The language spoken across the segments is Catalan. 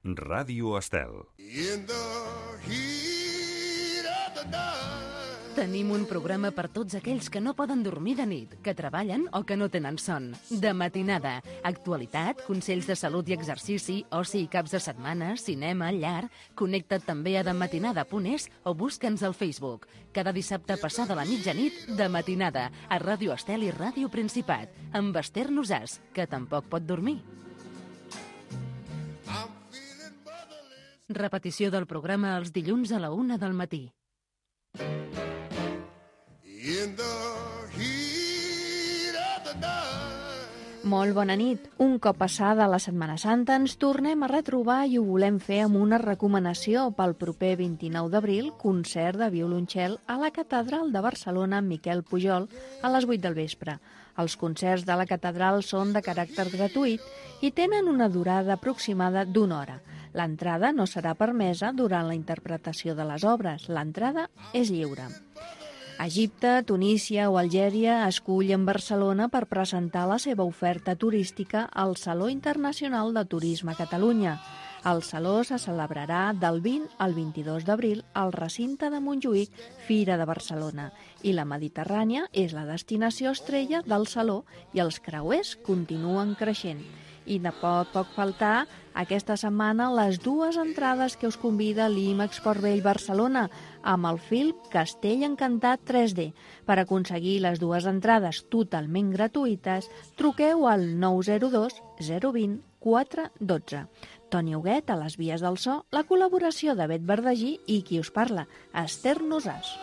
Ràdio Estel. Tenim un programa per tots aquells que no poden dormir de nit, que treballen o que no tenen son. De matinada, actualitat, consells de salut i exercici, oci i caps de setmana, cinema, llar... Connecta't també a dematinada.es o busca'ns al Facebook. Cada dissabte passada la mitjanit, de matinada, a Ràdio Estel i Ràdio Principat, amb Esther Nosàs, que tampoc pot dormir. Repetició del programa els dilluns a la 1 del matí. Molt bona nit. Un cop passada la Setmana Santa ens tornem a retrobar i ho volem fer amb una recomanació pel proper 29 d'abril, concert de violoncel a la Catedral de Barcelona amb Miquel Pujol a les 8 del vespre. Els concerts de la Catedral són de caràcter gratuït i tenen una durada aproximada d'1 hora. L'entrada no serà permesa durant la interpretació de les obres. L'entrada és lliure. Egipte, Tunísia o Algèria escullen Barcelona per presentar la seva oferta turística al Saló Internacional de Turisme a Catalunya. El Saló se celebrarà del 20 al 22 d'abril al recinte de Montjuïc, Fira de Barcelona, i la Mediterrània és la destinació estrella del Saló i els creuers continuen creixent. I no pot faltar aquesta setmana les 2 entrades que us convida l'IMEX Port Vell Barcelona amb el film Castell Encantat 3D. Per aconseguir les 2 entrades totalment gratuïtes, truqueu al 902 020 412. Toni Huguet a les vies del so, la col·laboració de Bet Verdagí i qui us parla, Esther Nosàs.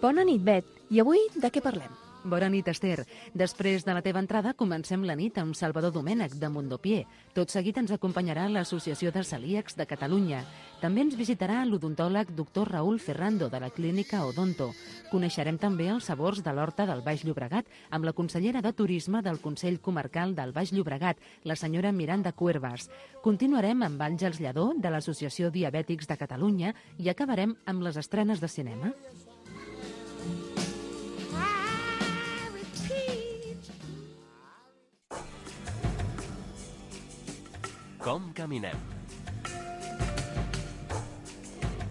Bona nit, Bet. I avui de què parlem? Bona nit, Esther. Després de la teva entrada, comencem la nit amb Salvador Domènech, de Mondopié. Tot seguit ens acompanyarà l'Associació de Celíacs de Catalunya. També ens visitarà l'odontòleg Dr. Raúl Ferrando, de la clínica Odonto. Coneixerem també els sabors de l'horta del Baix Llobregat amb la consellera de Turisme del Consell Comarcal del Baix Llobregat, la senyora Miranda Cuervas. Continuarem amb Àngels Lledó, de l'Associació Diabètics de Catalunya, i acabarem amb les estrenes de cinema. Com caminem?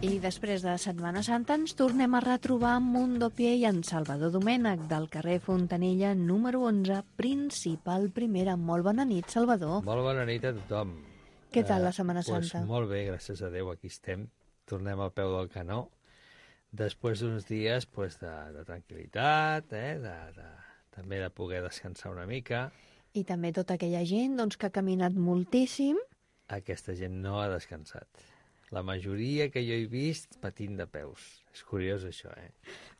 I després de Setmana Santa ens tornem a retrobar amb Mondopié i en Salvador Domènech del carrer Fontanella número 11, Principal Primera. Molt bona nit, Salvador. Molt bona nit a tothom. Què tal la Setmana Santa? Molt bé, gràcies a Déu, aquí estem. Tornem al peu del canó. Després d'uns dies de tranquil·litat, també de poder descansar una mica. I també tota aquella gent que ha caminat moltíssim. Aquesta gent no ha descansat. La majoria que jo he vist patint de peus. És curiós, això,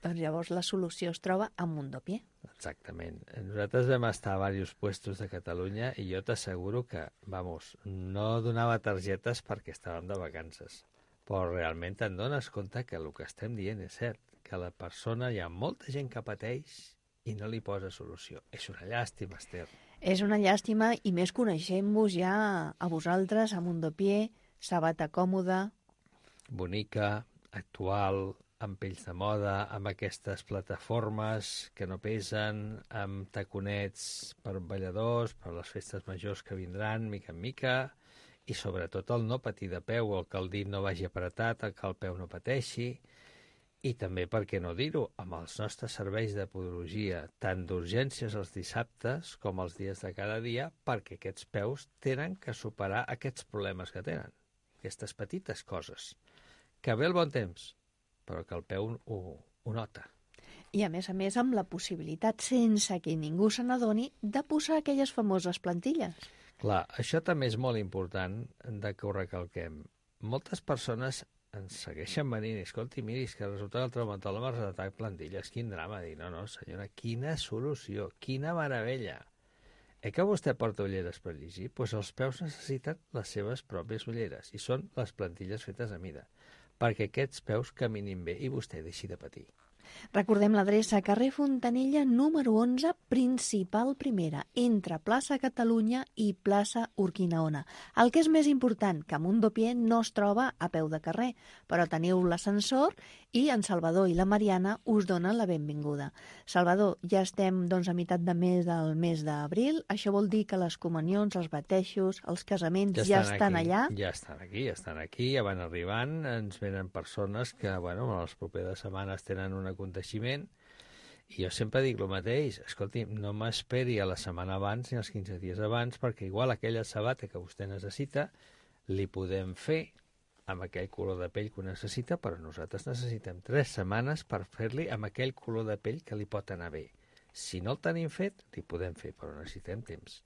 Doncs llavors la solució es troba a Mondopié. Exactament. Nosaltres vam estar a diversos puestos de Catalunya i jo t'asseguro que, no donava targetes perquè estàvem de vacances. Però realment te'n dones compte que el que estem dient és cert, que la persona, hi ha molta gent que pateix i no li posa solució. És una llàstima, Esther. És una llàstima, i més coneixent-vos ja a vosaltres, a Mondopié, sabata còmoda. Bonica, actual, amb pells de moda, amb aquestes plataformes que no pesen, amb taconets per balladors, per les festes majors que vindran, mica en mica, i sobretot el no patir de peu, el que el dit no vagi apretat, el que el peu no pateixi. I també, per què no dir-ho, amb els nostres serveis de podologia, tant d'urgències els dissabtes com els dies de cada dia, perquè aquests peus tenen que superar aquests problemes que tenen, aquestes petites coses. Que ve el bon temps, però que el peu ho nota. I a més amb la possibilitat, sense que ningú se n'adoni, de posar aquelles famoses plantilles. Clar, això també és molt important de que ho recalquem. Moltes persones ens segueixen venint, i escolti, miri, és que resulta que el traumatòleg m'ha recetat plantilles, quin drama. Dic, no, senyora, quina solució, quina meravella. Que vostè porta ulleres per llegir? Doncs els peus necessiten les seves pròpies ulleres, i són les plantilles fetes a mida, perquè aquests peus caminin bé i vostè deixi de patir. Recordem l'adreça: carrer Fontanella, número 11, principal primera, entre plaça Catalunya i plaça Urquinaona. El que és més important, que Mundopié no es troba a peu de carrer, però teniu l'ascensor i en Salvador i la Mariana us donen la benvinguda. Salvador, ja estem a meitat de mes del mes d'abril. Això vol dir que les comunions, els batejos, els casaments ja estan allà? Ja estan aquí, ja van arribant. Ens venen persones que, en les properes setmanes tenen un aconteixement, i jo sempre dic el mateix: escolti, no m'esperi a la setmana abans ni els 15 dies abans, perquè igual aquella sabata que vostè necessita li podem fer amb aquell color de pell que ho necessita, però nosaltres necessitem 3 setmanes per fer-li amb aquell color de pell que li pot anar bé. Si no el tenim fet, li podem fer, però necessitem temps.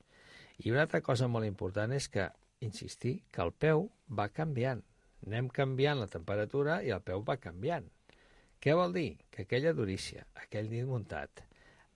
I una altra cosa molt important és que, insistir, que el peu va canviant. Anem canviant la temperatura i el peu va canviant. Què vol dir? Que aquella durícia, aquell dit muntat,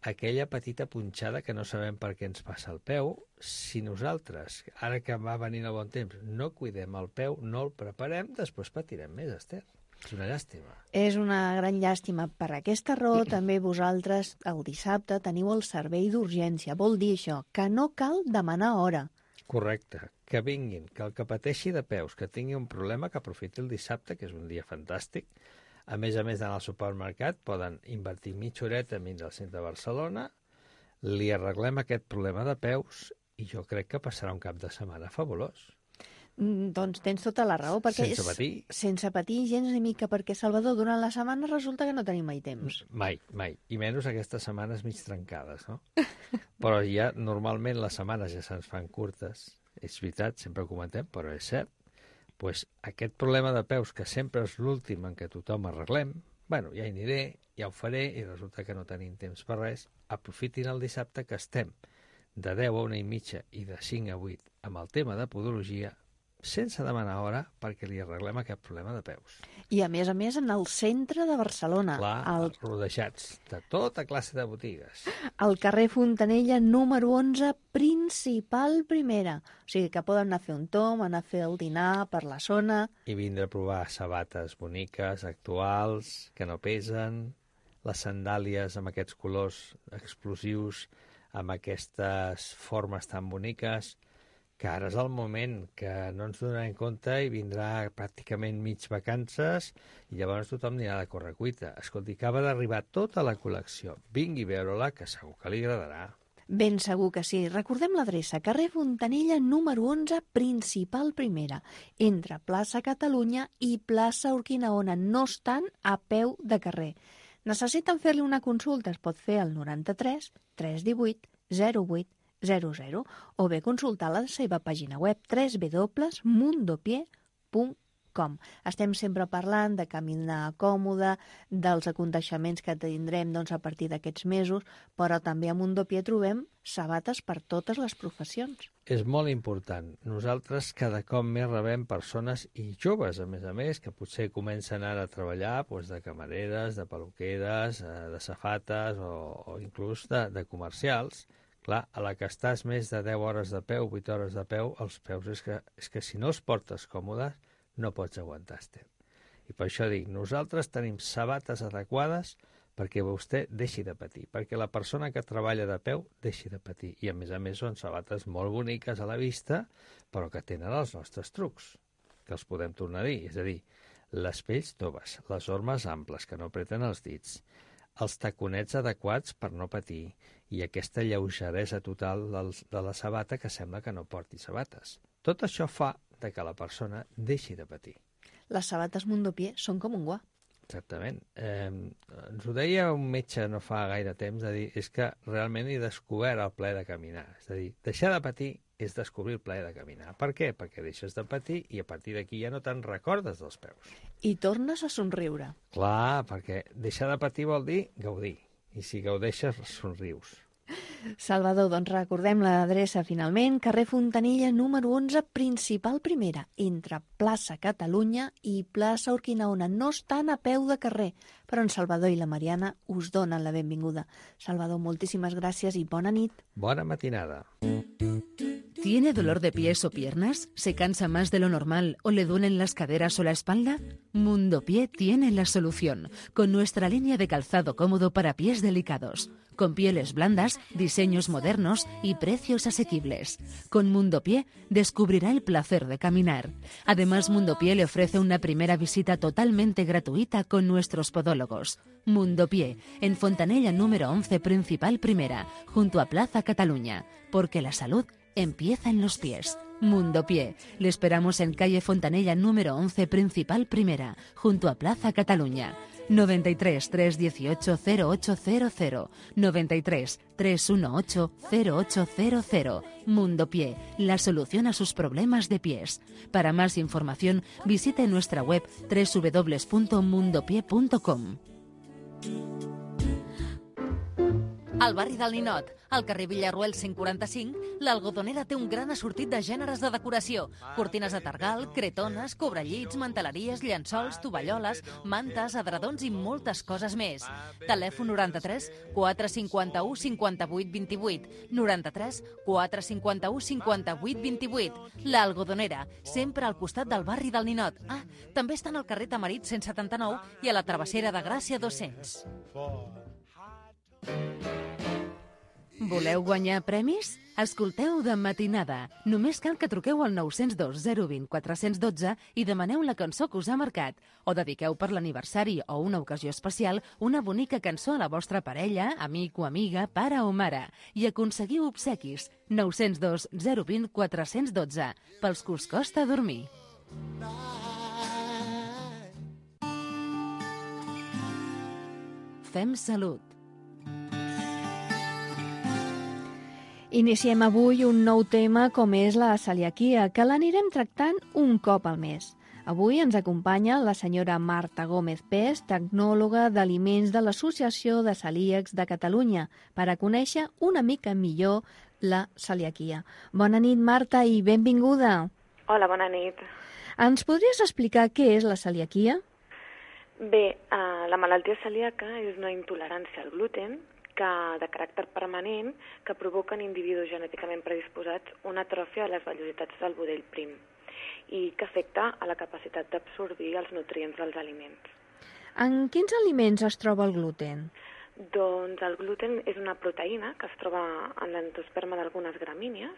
aquella petita punxada que no sabem per què ens passa al peu, si nosaltres, ara que va venint el bon temps, no cuidem el peu, no el preparem, després patirem més, Esther. És una llàstima. És una gran llàstima. Per aquesta raó, també vosaltres, el dissabte, teniu el servei d'urgència. Vol dir això, que no cal demanar hora. Correcte. Que vinguin, que el que pateixi de peus, que tingui un problema, que aprofiti el dissabte, que és un dia fantàstic. A més d'anar al supermercat, poden invertir mitja horeta a vindre al centre de Barcelona, li arreglem aquest problema de peus i jo crec que passarà un cap de setmana fabulós. Doncs tens tota la raó, perquè Sense patir. Sense patir gens ni mica, perquè, Salvador, durant la setmana resulta que no tenim mai temps. Mai. I menys aquestes setmanes mig trencades, no? Però ja, normalment, les setmanes ja se'ns fan curtes. És veritat, sempre ho comentem, però és cert. Pues aquest problema de peus, que sempre és l'últim en què tothom arreglem, ja hi aniré, ja ho faré, i resulta que no tenim temps per res. Aprofitin el dissabte que estem de 10 a 1:30 i de 5 a 8 amb el tema de podologia, sense demanar hora, perquè li arreglem aquest problema de peus. I a més, en el centre de Barcelona. Clar, rodejats de tota classe de botigues. Al carrer Fontanella, número 11, principal primera. O sigui que poden anar a fer un tomb, anar a fer el dinar per la zona. I vindre a provar sabates boniques, actuals, que no pesen, les sandàlies amb aquests colors explosius, amb aquestes formes tan boniques, que ara és el moment que no ens donarem compte i vindrà pràcticament mig vacances i llavors tothom anirà de correcuita. Escolti, acaba d'arribar tota la col·lecció. Vingui a veure-la, que segur que li agradarà. Ben segur que sí. Recordem l'adreça: carrer Fontanella, número 11, principal primera, entre plaça Catalunya i plaça Urquinaona. No estan a peu de carrer. Necessiten fer-li una consulta? Es pot fer al 93 318 08 00 o bé consultar la seva pàgina web www.mundopié.com. Estem sempre parlant de caminar còmode, dels aconteixements que tindrem a partir d'aquests mesos, però també a Mundopié trobem sabates per totes les professions. És molt important. Nosaltres cada cop més rebem persones, i joves a més, que potser comencen ara a treballar de camareres, de peluqueres, de safates o inclús de comercials. Clar, a la que estàs més de 10 hores de peu, 8 hores de peu, els peus és que si no els portes còmodes no pots aguantar, Esther. I per això dic, nosaltres tenim sabates adequades perquè vostè deixi de patir, perquè la persona que treballa de peu deixi de patir. I a més són sabates molt boniques a la vista, però que tenen els nostres trucs, que els podem tornar a dir. És a dir, les pells toves, les ormes amples que no apreten els dits, els taconets adequats per no patir i aquesta lleugeresa total de la sabata que sembla que no porti sabates. Tot això fa que la persona deixi de patir. Les sabates Mundopié són com un guà. Exactament. Ens ho deia un metge no fa gaire temps, de dir, és que realment he descobert el plaer de caminar. És a dir, deixar de patir és descobrir el plaer de caminar. Per què? Perquè deixes de patir i a partir d'aquí ja no te'n recordes dels peus. I tornes a somriure. Clar, perquè deixar de patir vol dir gaudir. I si gaudeixes, somrius. Salvador, doncs recordem l'adreça finalment: carrer Fontanella, número 11, principal primera, entre plaça Catalunya i plaça Urquinaona. No estan a peu de carrer, però en Salvador i la Mariana us donen la benvinguda. Salvador, moltíssimes gràcies i bona nit. Bona matinada. ¿Tiene dolor de pies o piernas? ¿Se cansa más de lo normal o le duelen las caderas o la espalda? Mundo Pie tiene la solución, con nuestra línea de calzado cómodo para pies delicados, con pieles blandas, diseños modernos y precios asequibles. Con Mundo Pie descubrirá el placer de caminar. Además, Mundo Pie le ofrece una primera visita totalmente gratuita con nuestros podólogos. Mundo Pie, en Fontanella número 11, Principal Primera, junto a Plaza Cataluña, porque la salud empieza en los pies. Mundo Pie. Le esperamos en calle Fontanella número 11, Principal Primera, junto a Plaza Cataluña. 93 318 0800 93 318 0800. Mundo Pie, la solución a sus problemas de pies. Para más información, visite nuestra web www.mundopie.com. Al barri del Ninot, al carrer Villarroel 145, l'Algodonera té un gran assortit de gèneres de decoració. Cortines de targal, cretones, cobrellits, manteleries, llençols, tovalloles, mantes, edredons i moltes coses més. Telèfon 93 451 58 28. 93 451 58 28. L'Algodonera, sempre al costat del barri del Ninot. Ah, també estan al carrer Tamarit 179 i a la Travessera de Gràcia 200. Voleu guanyar premis? Escolteu De Matinada. Només cal que truqueu al 902 020 412 i demaneu la cançó que us ha marcat. O dediqueu per l'aniversari o una ocasió especial una bonica cançó a la vostra parella, amic o amiga, pare o mare. I aconseguiu obsequis. 902 020 412. Pels que us costa dormir. Fem salut. Iniciem avui un nou tema com és la celiaquia, que l'anirem tractant un cop al mes. Avui ens acompanya la senyora Marta Gómez Pes, tecnòloga d'aliments de l'Associació de Celíacs de Catalunya, per a conèixer una mica millor la celiaquia. Bona nit, Marta, i benvinguda. Hola, bona nit. Ens podries explicar què és la celiaquia? Bé, la malaltia celíaca és una intolerància al gluten de caràcter permanent que provoca en individus genèticament predisposats una atròfia de les vellositats del budell prim i que afecta a la capacitat d'absorbir els nutrients dels aliments. En quins aliments es troba el gluten? Doncs el gluten és una proteïna que es troba en l'endosperma d'algunes gramínies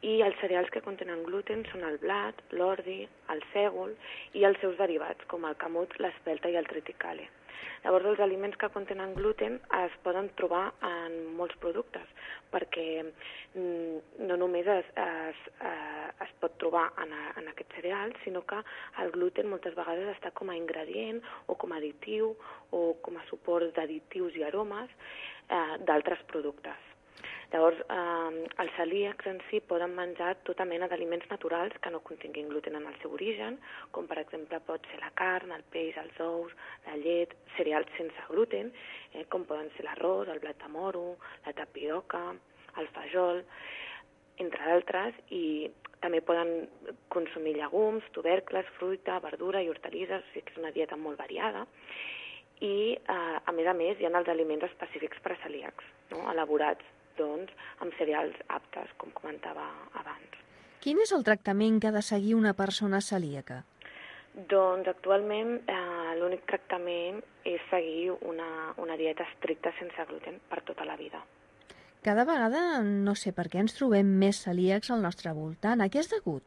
i els cereals que contenen gluten són el blat, l'ordi, el sègol i els seus derivats, com el camut, l'espelta i el triticale. Llavors, els aliments que contenen gluten es poden trobar en molts productes, perquè no només es pot trobar en aquests cereals, sinó que el gluten moltes vegades està com a ingredient o com a additiu o com a suport d'additius i aromes d'altres productes. Llavors, els celíacs en si poden menjar tota mena d'aliments naturals que no continguin gluten en el seu origen, com per exemple pot ser la carn, el peix, els ous, la llet, cereals sense gluten, com poden ser l'arròs, el blat de moro, la tapioca, el fajol, entre d'altres, i també poden consumir llegums, tubercles, fruita, verdura i hortalisses, o sigui que és una dieta molt variada. I, a més, hi ha els aliments específics per a celíacs, no? Elaborats amb cereals aptes, com comentava abans. Quin és el tractament que ha de seguir una persona celíaca? Doncs actualment l'únic tractament és seguir una dieta estricta sense gluten per tota la vida. Cada vegada no sé per què ens trobem més celíacs al nostre voltant. A què és degut?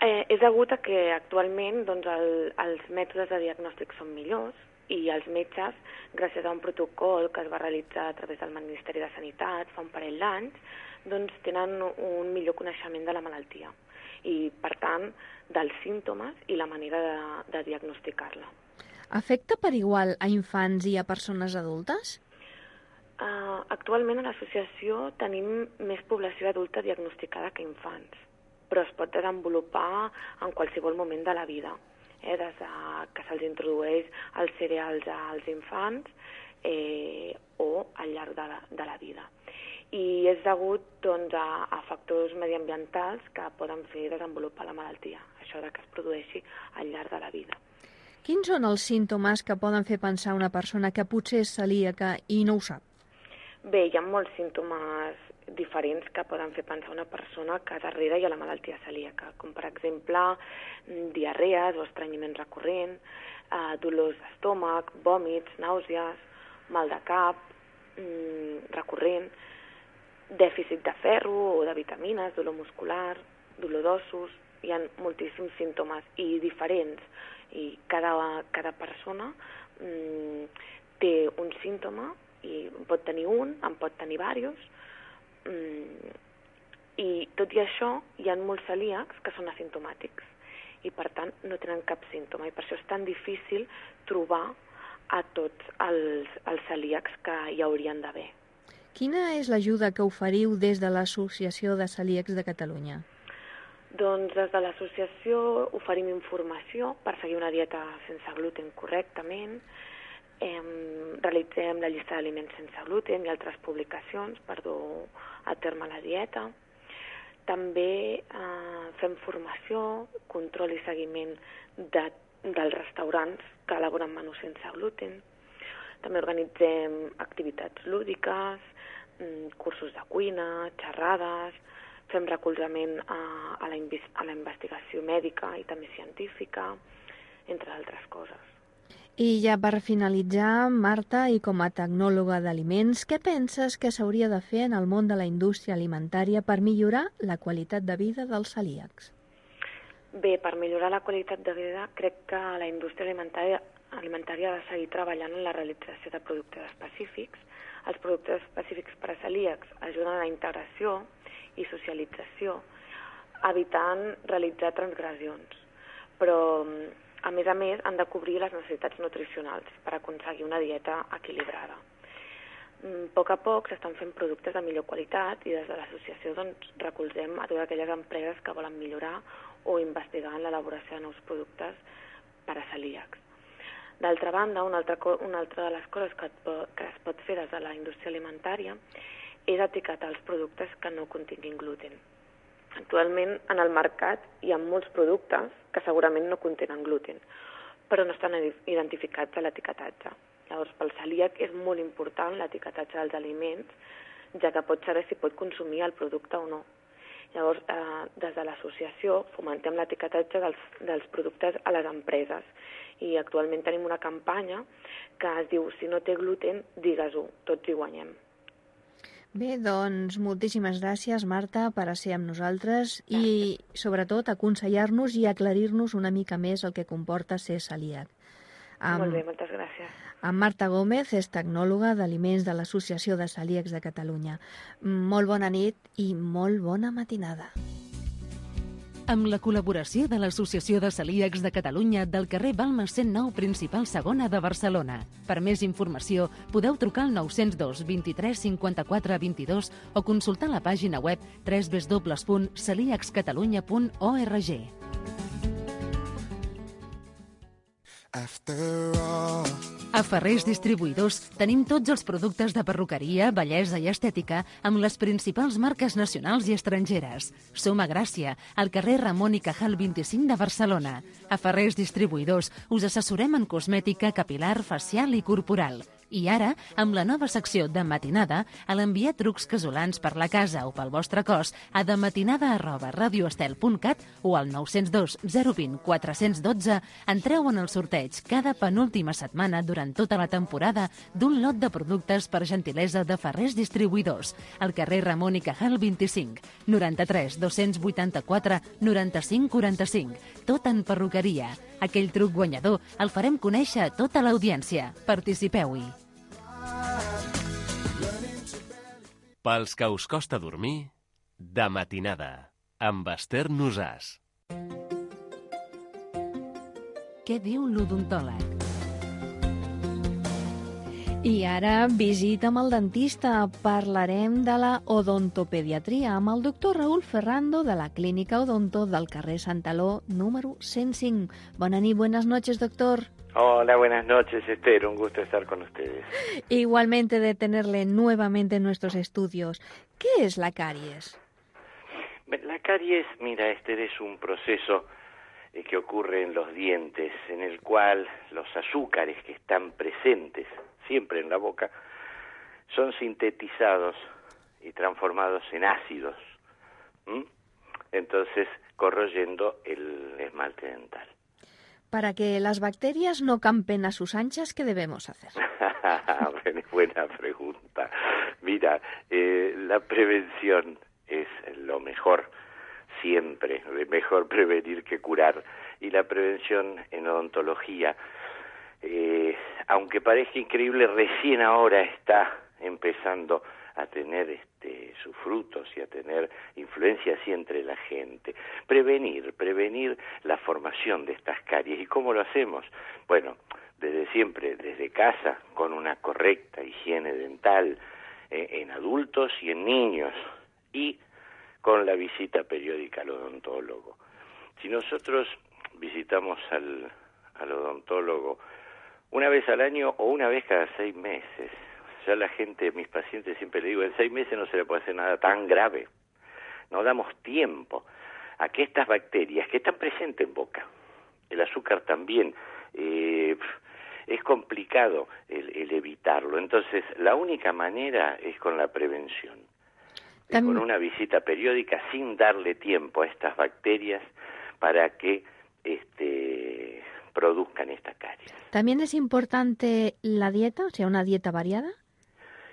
És degut a que actualment els mètodes de diagnòstic són millors i els metges, gràcies a un protocol que es va realitzar a través del Ministeri de Sanitat fa un parell d'anys, doncs tenen un millor coneixement de la malaltia i, per tant, dels símptomes i la manera de diagnosticar-la. Afecta per igual a infants i a persones adultes? Actualment a l'associació tenim més població adulta diagnosticada que infants, però es pot desenvolupar en qualsevol moment de la vida. Des que se'ls introdueix els cereals als infants o al llarg de la vida. I és degut a factors mediambientals que poden fer desenvolupar la malaltia, això que es produeixi al llarg de la vida. Quins són els símptomes que poden fer pensar una persona que potser és celíaca i no ho sap? Bé, hi ha molts símptomes diferents que poden fer pensar una persona que darrere hi ha la malaltia celíaca, com per exemple diarrees o estrenyiment recurrent, dolors d'estómac, vòmits, nàusees, mal de cap recurrent, dèficit de ferro o de vitamines, dolor muscular, dolor d'ossos. Hi ha moltíssims símptomes i diferents, i cada persona té un símptoma, i en pot tenir un, en pot tenir diversos, i tot i això hi ha molts celíacs que són asimptomàtics i per tant no tenen cap símptoma, i per això és tan difícil trobar a tots els celíacs que hi haurien d'haver. Quina és l'ajuda que oferiu des de l'Associació de Celíacs de Catalunya? Doncs des de l'associació oferim informació per seguir una dieta sense gluten correctament, realitzem la llista d'aliments sense gluten i altres publicacions per dur a terme la dieta. També fem formació, control i seguiment dels restaurants que elaboren menús sense gluten. També organitzem activitats lúdiques, cursos de cuina, xerrades, fem recolzament a la investigació mèdica i també científica, entre altres coses. I ja per finalitzar, Marta, i com a tecnòloga d'aliments, què penses que s'hauria de fer en el món de la indústria alimentària per millorar la qualitat de vida dels celíacs? Bé, per millorar la qualitat de vida, crec que la indústria alimentària ha de seguir treballant en la realització de productes específics. Els productes específics per a celíacs ajuden a la integració i socialització, evitant realitzar transgressions. Però a més, han de cobrir les necessitats nutricionals per aconseguir una dieta equilibrada. A poc s'estan fent productes de millor qualitat i des de l'associació recolzem a totes aquelles empreses que volen millorar o investigar en l'elaboració de nous productes per a celíacs. D'altra banda, una altra de les coses que es pot fer des de la indústria alimentària és etiquetar els productes que no continguin gluten. Actualment, en el mercat hi ha molts productes que segurament no contenen gluten, però no estan identificats a l'etiquetatge. Llavors, pel celíac és molt important l'etiquetatge dels aliments, ja que pot saber si pot consumir el producte o no. Llavors, des de l'associació fomentem l'etiquetatge dels productes a les empreses i actualment tenim una campanya que es diu "Si no té gluten, digues-ho, tots hi guanyem". Bé, doncs moltíssimes gràcies, Marta, per ser amb nosaltres i, sobretot, aconsellar-nos i aclarir-nos una mica més el que comporta ser celíac. Molt bé, moltes gràcies. En Marta Gómez és tecnòloga d'aliments de l'Associació de Celíacs de Catalunya. Molt bona nit i molt bona matinada. Amb la col·laboració de l'Associació de Celíacs de Catalunya del carrer Balmes 109 Principal Segona de Barcelona. Per més informació, podeu trucar al 902 23 54 22 o consultar la pàgina web www.celiacscatalunya.org. A Ferrers Distribuïdors tenim tots els productes de perruqueria, bellesa i estètica amb les principals marques nacionals i estrangeres. Som a Gràcia, al carrer Ramon y Cajal 25 de Barcelona. A Ferrers Distribuïdors us assessorem en cosmètica capilar, facial i corporal. I ara, amb la nova secció de matinada, a l'enviar trucs casolans per la casa o pel vostre cos a dematinada@radioestel.cat o al 902 020 412 entreu en el sorteig cada penúltima setmana durant tota la temporada d'un lot de productes per gentilesa de Ferrers Distribuïdors, al carrer Ramon y Cajal 25, 93 284 95 45. Tot en perruqueria. Aquell truc guanyador el farem conèixer a tota l'audiència. Participeu-hi. Pels que us costa dormir, de matinada, amb Esther Nosàs. Què diu l'odontòleg? I ara, visita amb el dentista. Parlarem de la odontopediatria amb el doctor Raúl Ferrando de la Clínica Odonto del carrer Santaló, número 105. Bona nit, buenas noches, doctor. Hola, buenas noches, Esther. Un gusto estar con ustedes. Igualmente de tenerle nuevamente en nuestros estudios. ¿Qué es la caries? La caries, mira, Esther, es un proceso que ocurre en los dientes, en el cual los azúcares que están presentes siempre en la boca son sintetizados y transformados en ácidos, entonces corroyendo el esmalte dental. Para que las bacterias no campen a sus anchas, ¿qué debemos hacer? Buena pregunta. Mira, la prevención es lo mejor, siempre, mejor prevenir que curar. Y la prevención en odontología, aunque parezca increíble, recién ahora está empezando a tener sus frutos y a tener influencia así entre la gente. Prevenir la formación de estas caries. ¿Y cómo lo hacemos? Bueno, desde siempre, desde casa, con una correcta higiene dental en adultos y en niños, y con la visita periódica al odontólogo. Si nosotros visitamos al odontólogo una vez al año o una vez cada 6 meses, ya la gente, mis pacientes siempre le digo, en 6 meses no se le puede hacer nada tan grave. No damos tiempo a que estas bacterias que están presentes en boca, el azúcar también, es complicado el evitarlo. Entonces, la única manera es con la prevención. Con una visita periódica sin darle tiempo a estas bacterias para que produzcan esta caries. ¿También es importante la dieta, o sea, una dieta variada?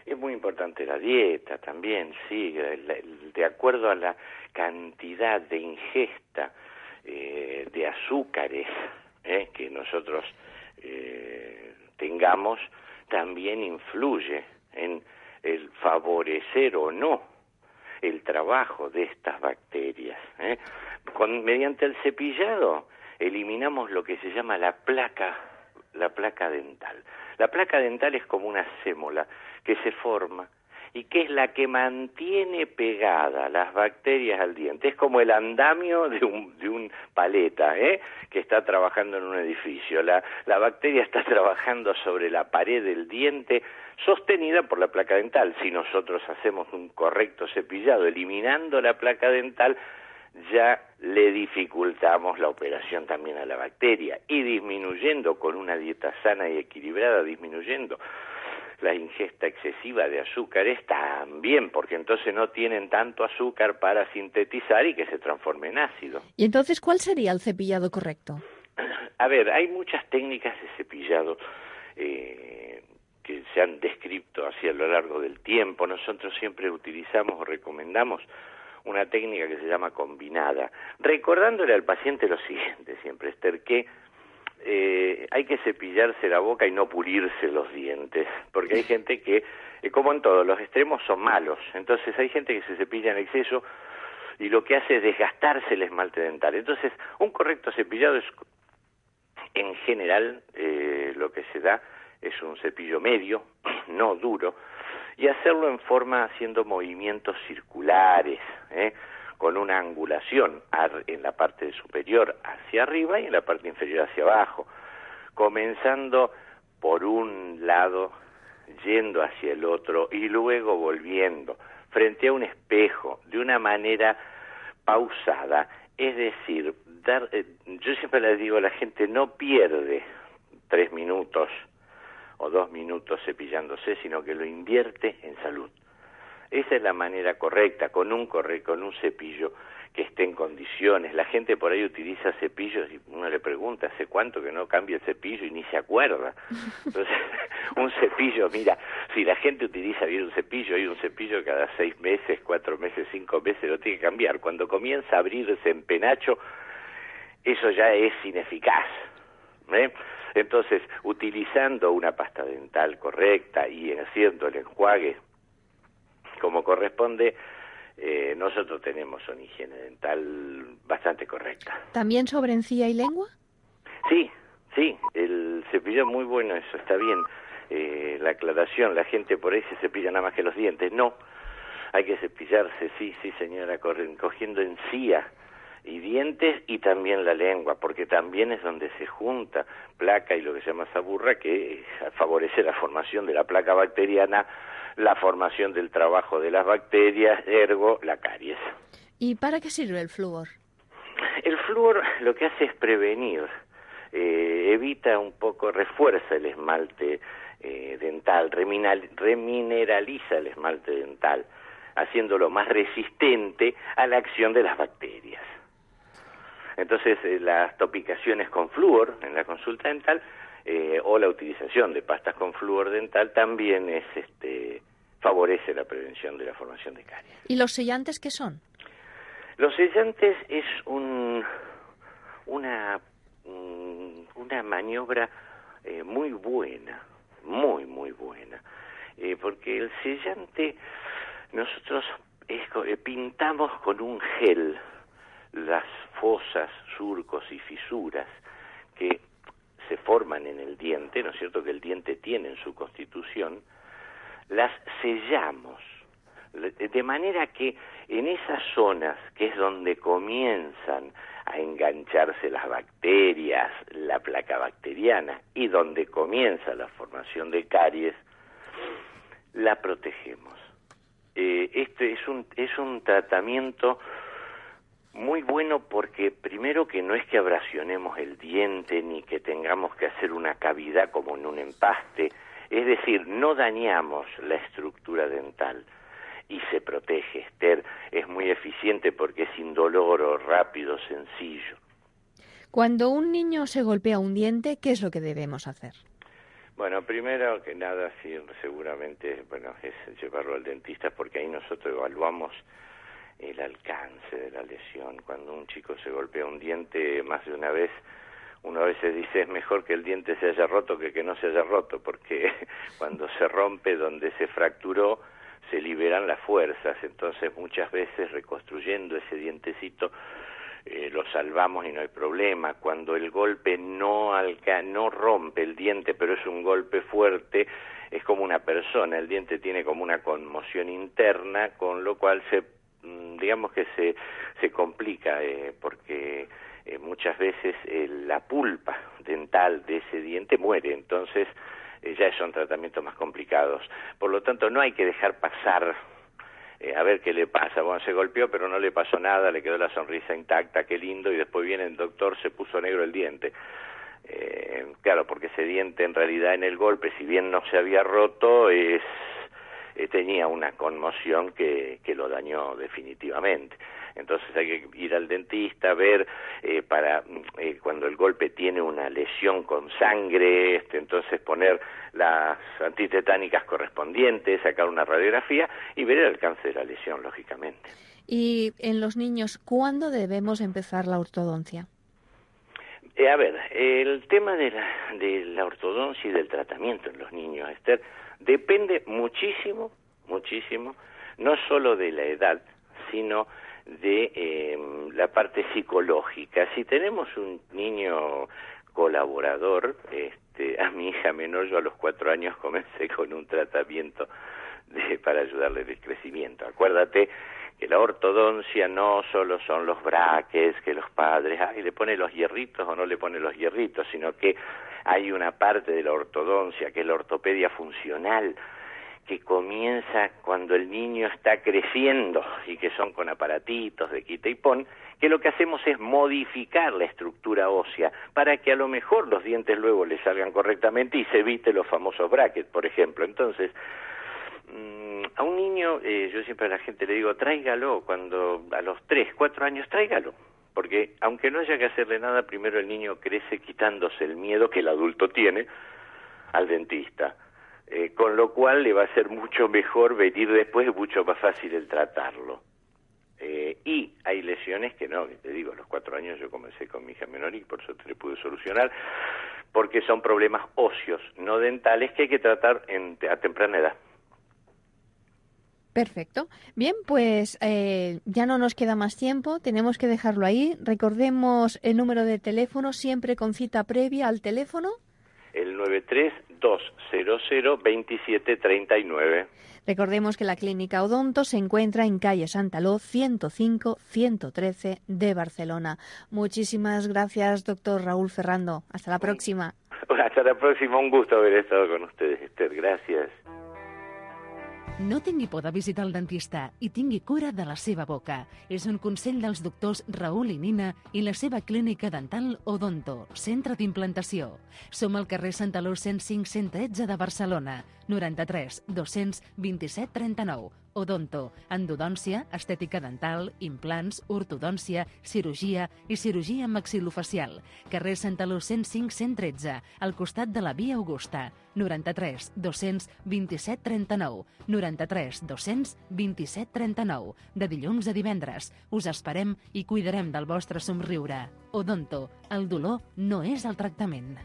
Es muy importante la dieta también, sí, de acuerdo a la cantidad de ingesta de azúcares que nosotros tengamos, también influye en el favorecer o no el trabajo de estas bacterias. Mediante el cepillado eliminamos lo que se llama la placa dental. La placa dental es como una sémola que se forma y que es la que mantiene pegada las bacterias al diente. Es como el andamio de un paleta, que está trabajando en un edificio. La bacteria está trabajando sobre la pared del diente, sostenida por la placa dental. Si nosotros hacemos un correcto cepillado, eliminando la placa dental, ya le dificultamos la operación también a la bacteria, y disminuyendo con una dieta sana y equilibrada, disminuyendo la ingesta excesiva de azúcares también, porque entonces no tienen tanto azúcar para sintetizar y que se transforme en ácido. ¿Y entonces cuál sería el cepillado correcto? A ver, hay muchas técnicas de cepillado que se han descrito así a lo largo del tiempo. Nosotros siempre utilizamos o recomendamos una técnica que se llama combinada, recordándole al paciente lo siguiente siempre, Esther, que hay que cepillarse la boca y no pulirse los dientes, porque hay gente que, como en todo, los extremos son malos. Entonces hay gente que se cepilla en exceso y lo que hace es desgastarse el esmalte dental. Entonces, un correcto cepillado es, en general, lo que se da es un cepillo medio, no duro, y hacerlo en forma haciendo movimientos circulares, con una angulación en la parte superior hacia arriba y en la parte inferior hacia abajo, comenzando por un lado, yendo hacia el otro y luego volviendo frente a un espejo de una manera pausada. Es decir, yo siempre le digo a la gente, no pierde 3 minutos o 2 minutos cepillándose, sino que lo invierte en salud. Esa es la manera correcta, con un cepillo que esté en condiciones. La gente por ahí utiliza cepillos y uno le pregunta, ¿hace cuánto que no cambia el cepillo? Y ni se acuerda. Entonces, un cepillo, mira, si la gente utiliza bien un cepillo, hay un cepillo cada 6 meses, 4 meses, 5 meses, lo tiene que cambiar. Cuando comienza a abrirse en penacho, eso ya es ineficaz. Entonces, utilizando una pasta dental correcta y haciendo el enjuague como corresponde, nosotros tenemos una higiene dental bastante correcta. ¿También sobre encía y lengua? Sí, el cepillo es muy bueno, eso está bien. La aclaración, la gente por ahí se cepilla nada más que los dientes. No, hay que cepillarse, sí señora, cogiendo encía y dientes y también la lengua, porque también es donde se junta placa y lo que se llama saburra, que favorece la formación de la placa bacteriana, la formación del trabajo de las bacterias, ergo la caries. ¿Y para qué sirve el flúor? El flúor lo que hace es prevenir, evita un poco, refuerza el esmalte dental, remineraliza el esmalte dental, haciéndolo más resistente a la acción de las bacterias. Entonces, las topicaciones con flúor en la consulta dental o la utilización de pastas con flúor dental también favorece la prevención de la formación de caries. ¿Y los sellantes qué son? Los sellantes es una maniobra muy buena, muy buena, porque el sellante nosotros pintamos con un gel las fosas, surcos y fisuras que se forman en el diente, ¿no es cierto?, que el diente tiene en su constitución, las sellamos, de manera que en esas zonas, que es donde comienzan a engancharse las bacterias, la placa bacteriana, y donde comienza la formación de caries, la protegemos. Este es un tratamiento muy bueno porque primero que no es que abrasionemos el diente ni que tengamos que hacer una cavidad como en un empaste, es decir, no dañamos la estructura dental y se protege, Esther. Es muy eficiente porque es indoloro, rápido, sencillo. Cuando un niño se golpea un diente, ¿qué es lo que debemos hacer? Bueno, primero que nada, sí, seguramente, es llevarlo al dentista porque ahí nosotros evaluamos el alcance de la lesión. Cuando un chico se golpea un diente más de una vez, uno a veces dice es mejor que el diente se haya roto que no se haya roto, porque cuando se rompe donde se fracturó se liberan las fuerzas, entonces muchas veces reconstruyendo ese dientecito lo salvamos y no hay problema. Cuando el golpe no rompe el diente, pero es un golpe fuerte, es como una persona, el diente tiene como una conmoción interna, con lo cual digamos que se complica, porque muchas veces la pulpa dental de ese diente muere, entonces ya son tratamientos más complicados. Por lo tanto, no hay que dejar pasar a ver qué le pasa. Bueno, se golpeó pero no le pasó nada, le quedó la sonrisa intacta, qué lindo, y después viene el doctor, se puso negro el diente. Claro, porque ese diente en realidad en el golpe, si bien no se había roto, tenía una conmoción que lo dañó definitivamente. Entonces hay que ir al dentista, ver cuando el golpe tiene una lesión con sangre, entonces poner las antitetánicas correspondientes, sacar una radiografía y ver el alcance de la lesión, lógicamente. Y en los niños, ¿cuándo debemos empezar la ortodoncia? El tema de la ortodoncia y del tratamiento en los niños, Esther, depende muchísimo, no solo de la edad, sino de la parte psicológica. Si tenemos un niño colaborador, a mi hija menor, yo a los 4 años comencé con un tratamiento para ayudarle en el crecimiento. Acuérdate que la ortodoncia no solo son los brackets, que los padres, le pone los hierritos o no le pone los hierritos, sino que hay una parte de la ortodoncia, que es la ortopedia funcional, que comienza cuando el niño está creciendo y que son con aparatitos de quita y pon, que lo que hacemos es modificar la estructura ósea para que a lo mejor los dientes luego le salgan correctamente y se evite los famosos brackets, por ejemplo. Entonces, a un niño, yo siempre a la gente le digo, tráigalo cuando a los 3, 4 años, tráigalo. Porque aunque no haya que hacerle nada, primero el niño crece quitándose el miedo que el adulto tiene al dentista. Con lo cual le va a ser mucho mejor venir después, mucho más fácil el tratarlo. Y hay lesiones que no, que te digo, a los 4 años yo comencé con mi hija menor y por suerte le pude solucionar, porque son problemas óseos, no dentales, que hay que tratar a temprana edad. Perfecto. Bien, pues ya no nos queda más tiempo, tenemos que dejarlo ahí. Recordemos el número de teléfono, siempre con cita previa al teléfono. El 932002739. Recordemos que la Clínica Odonto se encuentra en calle Santaló 105-113 de Barcelona. Muchísimas gracias, doctor Raúl Ferrando. Hasta la próxima. Hasta la próxima, un gusto haber estado con ustedes, Esther. Gracias. No tingui por de visitar el dentista i tingui cura de la seva boca. És un consell dels doctors Raül i Nina i la seva clínica dental Odonto, centre d'implantació. Som al carrer Santaló 105 113 de Barcelona, 93 227 39. Odonto, endodòncia, estètica dental, implants, ortodòncia, cirurgia i cirurgia maxilofacial. Carrer Santaló 105 113, al costat de la Via Augusta, 93 227 39, 93 227 39, de dilluns a divendres. Us esperem i cuidarem del vostre somriure. Odonto, el dolor no és el tractament.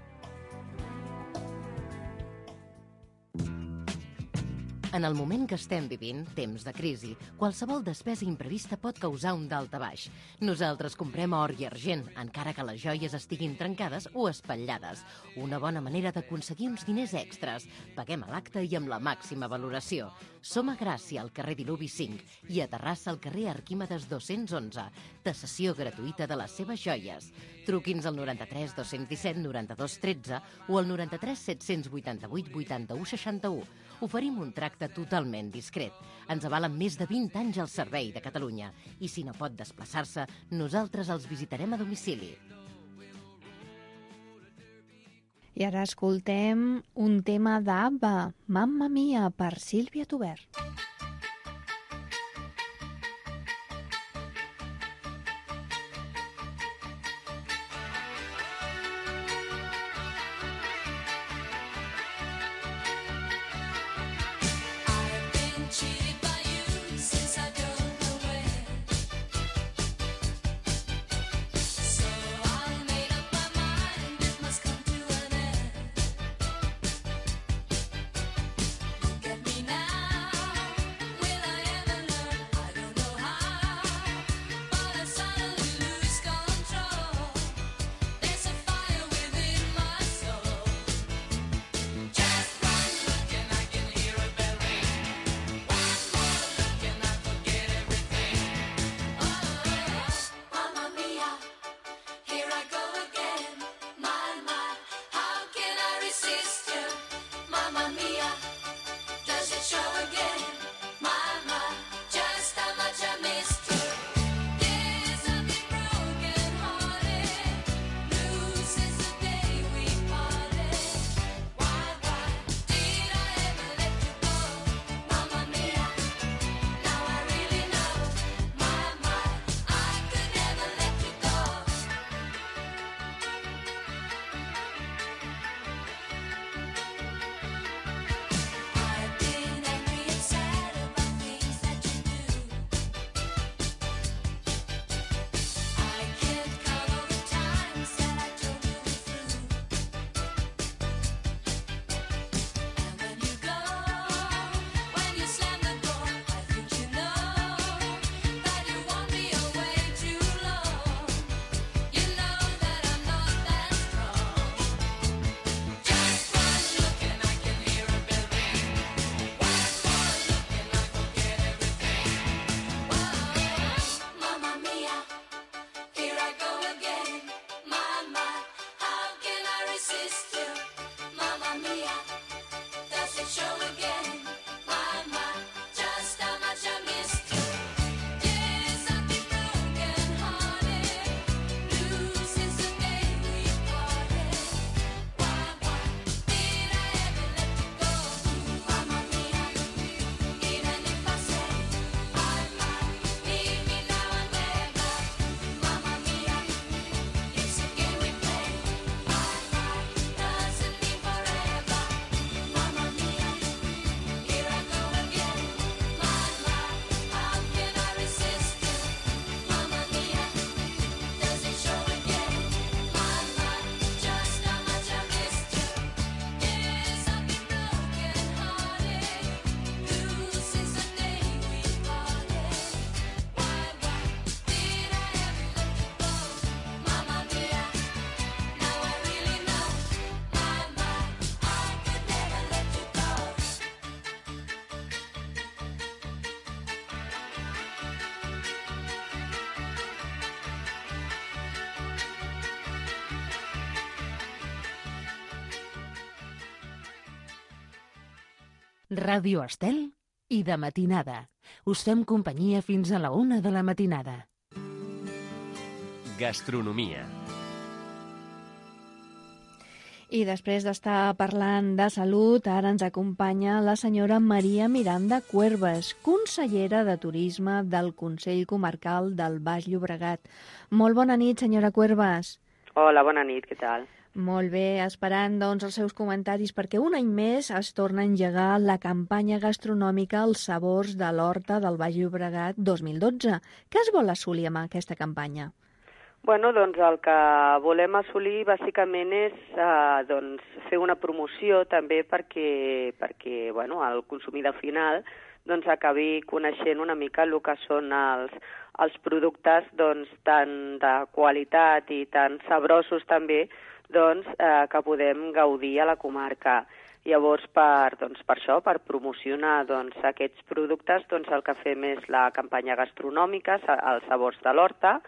En el moment que estem vivint, temps de crisi, qualsevol despesa imprevista pot causar un daltabaix. Nosaltres comprem or i argent, encara que les joies estiguin trencades o espatllades. Una bona manera d'aconseguir uns diners extras. Paguem a l'acte i amb la màxima valoració. Som a Gràcia, al carrer Diluvi 5, i a Terrassa, al carrer Arquímedes 211. Tasació gratuïta de les seves joies. Truqui'ns al 93 217 92 13 o al 93 788 81 61. Oferim un tracte totalment discret. Ens avalen més de 20 anys al servei de Catalunya i si no pot desplaçar-se, nosaltres els visitarem a domicili. I ara escoltem un tema d'ABBA, Mamma Mia, per Sílvia Tobert. Ràdio Estel i de matinada. Us fem companyia fins a la 1 de la matinada. Gastronomia. I després d'estar parlant de salut, ara ens acompanya la senyora Maria Miranda Cuervas, consellera de Turisme del Consell Comarcal del Baix Llobregat. Molt bona nit, senyora Cuervas. Hola, bona nit, què tal? Molt bé, esperant doncs, els seus comentaris, perquè un any més es torna a engegar la campanya gastronòmica Els sabors de l'Horta del Baix Llobregat 2012. Què es vol assolir amb aquesta campanya? Bueno, doncs el que volem assolir bàsicament és fer una promoció també perquè el consumidor final doncs, acabi coneixent una mica el que són els productes doncs, tan de qualitat i tan sabrosos també doncs, que podem gaudir a la comarca. Llavors, per això, per promocionar doncs, aquests productes, doncs, el que fem és la campanya gastronòmica, els sabors de l'Horta,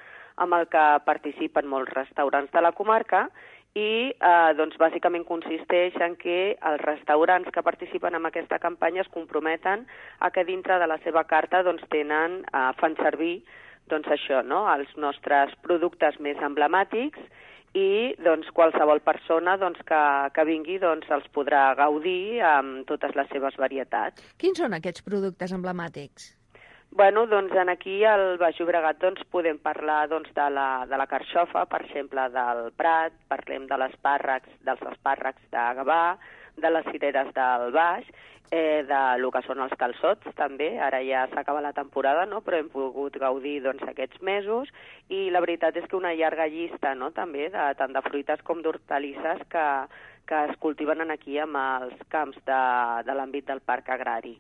amb el que participen molts restaurants de la comarca i doncs, bàsicament consisteix en que els restaurants que participen en aquesta campanya es comprometen a que dintre de la seva carta doncs, fan servir doncs, això, no? Els nostres productes més emblemàtics i doncs, qualsevol persona doncs, que vingui doncs, els podrà gaudir amb totes les seves varietats. Quins són aquests productes emblemàtics? Bueno, doncs aquí al Baix Llobregat doncs, podem parlar doncs, de la carxofa, per exemple, del Prat, parlem dels espàrrecs de Gavà, de les cireres del Baix, del que són els calçots també, ara ja s'acaba la temporada, no? Però hem pogut gaudir doncs, aquests mesos i la veritat és que una llarga llista no? També tant de fruites com d'hortalisses que es cultiven aquí amb els camps de l'àmbit del parc agrari.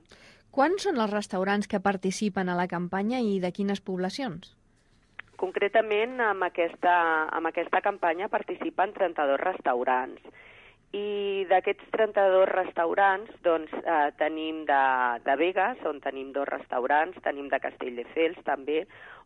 Quants són els restaurants que participen a la campanya i de quines poblacions? Concretament, amb aquesta campanya participen 32 restaurants. I d'aquests 32 restaurants doncs, tenim de Begues, on tenim 2 restaurants, tenim de Castelldefels també,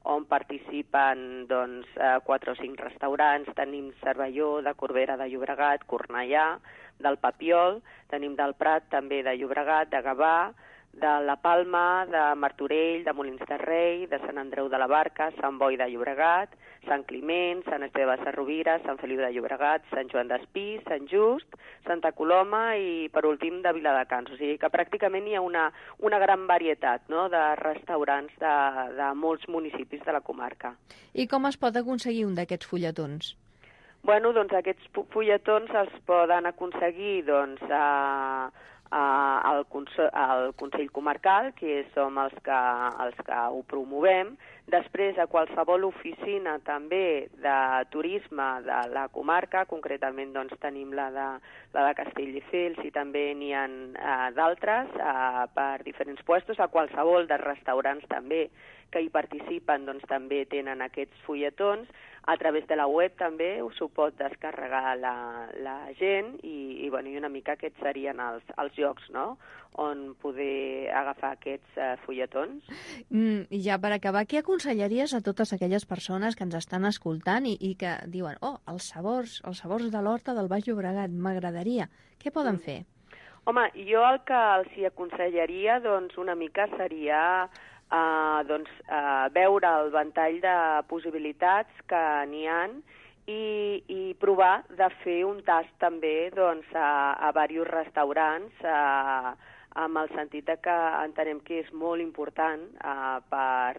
on participen doncs, 4 o 5 restaurants, tenim Cervelló, de Corbera de Llobregat, Cornellà, del Papiol, tenim del Prat també de Llobregat, de Gavà, de La Palma, de Martorell, de Molins de Rei, de Sant Andreu de la Barca, Sant Boi de Llobregat, Sant Climent, Sant Esteve de Sarrovira, Sant Feliu de Llobregat, Sant Joan d'Espí, Sant Just, Santa Coloma i, per últim, de Viladecans. O sigui que pràcticament hi ha una gran varietat no? De restaurants de molts municipis de la comarca. I com es pot aconseguir un d'aquests fulletons? Bueno, doncs aquests fulletons els poden aconseguir doncs, al Consell Comarcal, que som els que ho promovem, després a qualsevol oficina també de turisme de la comarca, concretament doncs, tenim la de Castelldefels i també n'hi ha d'altres per diferents puestos, a qualsevol dels restaurants també que hi participen doncs, també tenen aquests fulletons. A través de la web també s'ho pot descarregar la gent i una mica aquests serien els llocs no? On poder agafar aquests fulletons. I ja per acabar, què aconsellaries a totes aquelles persones que ens estan escoltant i que diuen els sabors de l'Horta del Baix Llobregat, m'agradaria. Què poden fer? Home, jo el que els hi aconsellaria doncs, una mica seria veure el ventall de possibilitats que n'hi ha i provar de fer un tast també doncs, a diversos restaurants amb el sentit que entenem que és molt important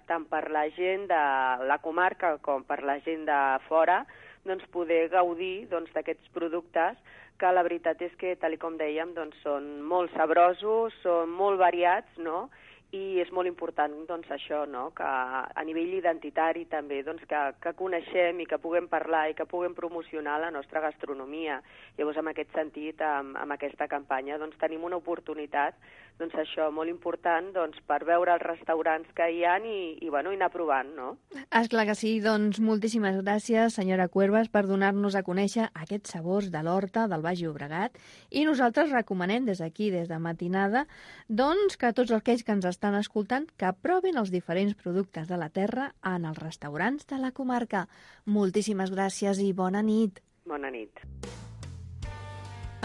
tant per la gent de la comarca com per la gent de fora doncs, poder gaudir d'aquests productes que la veritat és que, tal com dèiem, doncs, són molt sabrosos, són molt variats, no? I és molt important doncs, això, no? Que a nivell identitari també doncs, que coneixem i que puguem parlar i que puguem promocionar la nostra gastronomia. Llavors, en aquest sentit, amb aquesta campanya, doncs, tenim una oportunitat doncs, això, molt important doncs, per veure els restaurants que hi ha i anar provant. No? Esclar que sí, doncs moltíssimes gràcies, senyora Cuervas, per donar-nos a conèixer aquests sabors de l'Horta del Baix Llobregat i nosaltres recomanem des d'aquí, des de Matinada, doncs, que tots aquells que ens estan escoltant que provin els diferents productes de la terra en els restaurants de la comarca. Moltíssimes gràcies i bona nit. Bona nit.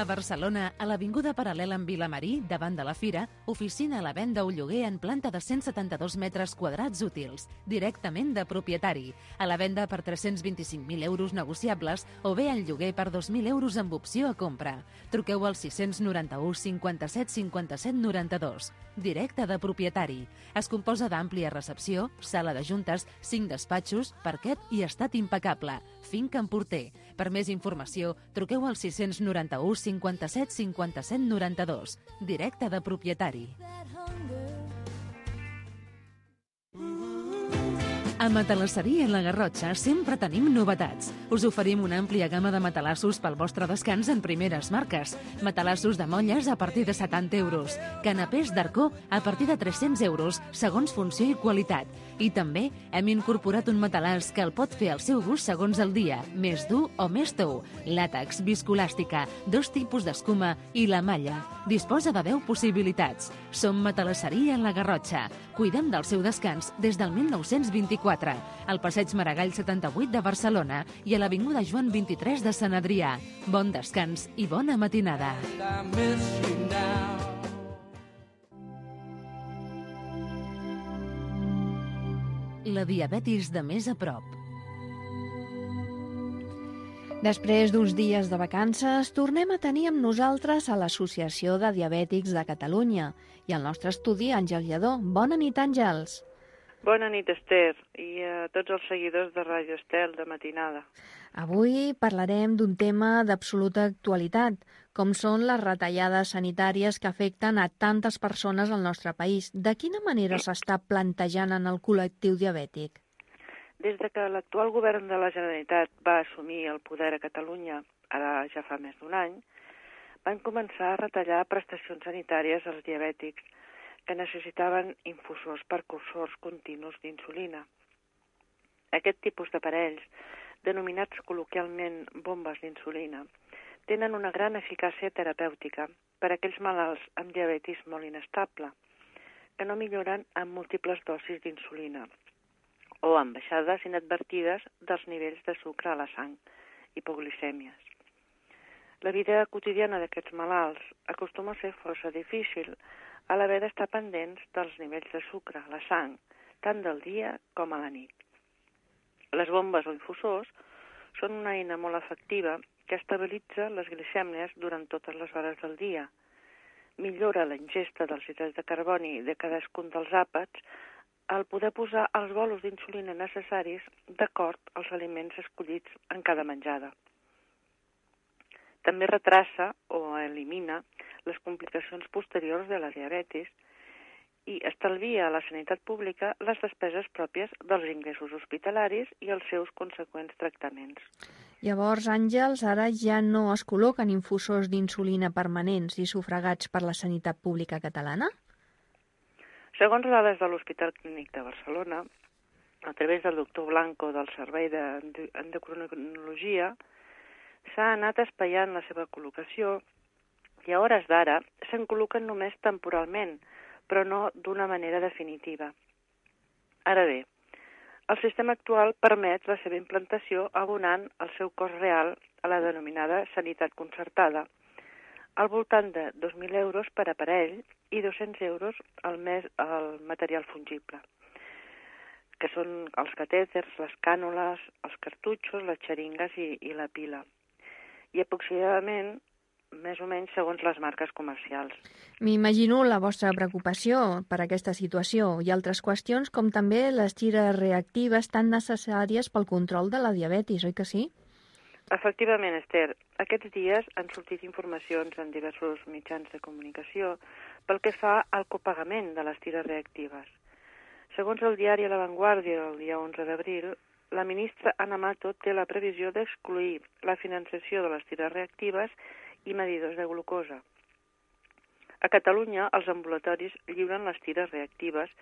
A Barcelona, a l'avinguda paral·lela amb Vilamarí, davant de la Fira, oficina a la venda o lloguer en planta de 172 metres quadrats útils, directament de propietari. A la venda per 325.000 euros negociables o bé en lloguer per 2.000 euros amb opció a compra. Truqueu al 691 57 57 92. Directe de propietari. Es composa d'àmplia recepció, sala de juntes, 5 despatxos, parquet i estat impecable. Finca en Porter. Per més informació, truqueu al 691 57 57 92. Directe de propietari. A Matalasseria La Garrotxa sempre tenim novetats. Us oferim una àmplia gamma de matalassos pel vostre descans en primeres marques. Matalassos de molles a partir de 70 euros. Canapés d'arcó a partir de 300 euros, segons funció i qualitat. I també hem incorporat un matalàs que el pot fer al seu gust segons el dia, més dur o més tou. Làtex, viscolàstica, 2 tipus d'escuma i la malla. Disposa de 10 possibilitats. Som Matalasseria La Garrotxa. Cuidem del seu descans des del 1924. Al passeig Maragall 78 de Barcelona i a l'avinguda Joan 23 de Sant Adrià. Bon descans i bona matinada. La diabetis de més a prop. Després d'uns dies de vacances, tornem a tenir amb nosaltres a l'Associació de Diabètics de Catalunya i al nostre estudi Àngel Lledó. Bona nit, Àngels. Bona nit, Esther, i a tots els seguidors de Ràdio Estel de matinada. Avui parlarem d'un tema d'absoluta actualitat, com són les retallades sanitàries que afecten a tantes persones al nostre país. De quina manera s'està plantejant en el col·lectiu diabètic? Des de que l'actual govern de la Generalitat va assumir el poder a Catalunya, ara ja fa més d'un any, van començar a retallar prestacions sanitàries als diabètics que necessitaven infusors percursors continus d'insulina. Aquest tipus d'aparells, denominats col·loquialment bombes d'insulina, tenen una gran eficàcia terapèutica per a aquells malalts amb diabetis molt inestable, que no milloren amb múltiples dosis d'insulina o amb baixades inadvertides dels nivells de sucre a la sang, hipoglicèmies. La vida quotidiana d'aquests malalts acostuma a ser força difícil a l'haver d'estar pendents dels nivells de sucre a la sang, tant del dia com a la nit. Les bombes o infusors són una eina molt efectiva que estabilitza les glicèmies durant totes les hores del dia, millora la ingesta dels hidrats de carboni de cadascun dels àpats al poder posar els bolos d'insulina necessaris d'acord als aliments escollits en cada menjada. També retrassa o elimina les complicacions posteriors de la diabetis i estalvia a la sanitat pública les despeses pròpies dels ingressos hospitalaris i els seus conseqüents tractaments. Llavors, Àngels, ara ja no es col·loquen infusors d'insulina permanents i sufragats per la sanitat pública catalana? Segons dades de l'Hospital Clínic de Barcelona, a través del doctor Blanco del Servei d'Endocrinologia, s'ha anat espaiant la seva col·locació i a hores d'ara se'n col·loquen només temporalment, però no d'una manera definitiva. Ara bé, el sistema actual permet la seva implantació abonant el seu cost real a la denominada sanitat concertada, al voltant de 2.000 euros per aparell i 200 euros al mes al material fungible, que són els catèters, les cànules, els cartutxos, les xeringues i la pila. I aproximadament, més o menys, segons les marques comercials. M'imagino la vostra preocupació per aquesta situació i altres qüestions, com també les tires reactives tan necessàries pel control de la diabetis, oi que sí? Efectivament, Esther, aquests dies han sortit informacions en diversos mitjans de comunicació pel que fa al copagament de les tires reactives. Segons el diari La Vanguardia, el dia 11 d'abril, la ministra Ana Mato té la previsió d'excluir la finançació de les tires reactives i medidors de glucosa. A Catalunya, els ambulatoris lliuren les tires reactives